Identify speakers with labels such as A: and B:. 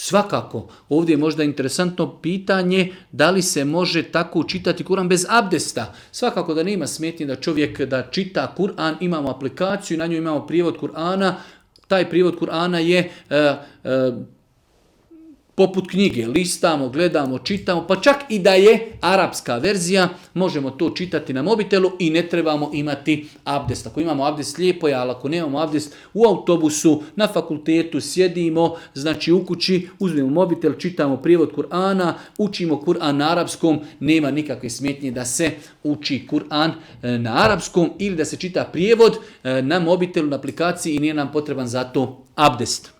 A: Svakako, ovdje je možda interesantno pitanje da li se može tako čitati Kur'an bez abdesta. Svakako da nema smetnje da čovjek da čita Kur'an, imamo aplikaciju, na njoj imamo prijevod Kur'ana, taj prijevod Kur'ana je poput knjige, listamo, gledamo, čitamo, pa čak i da je arapska verzija, možemo to čitati na mobitelu i ne trebamo imati abdest. Ako imamo abdest, lijepo je, ali ako nemamo abdest, u autobusu, na fakultetu sjedimo, znači u kući, uzmemo mobitel, čitamo prijevod Kur'ana, učimo Kur'an na arapskom, nema nikakve smetnje da se uči Kur'an na arapskom ili da se čita prijevod na mobitelu, na aplikaciji i nije nam potreban za to abdest.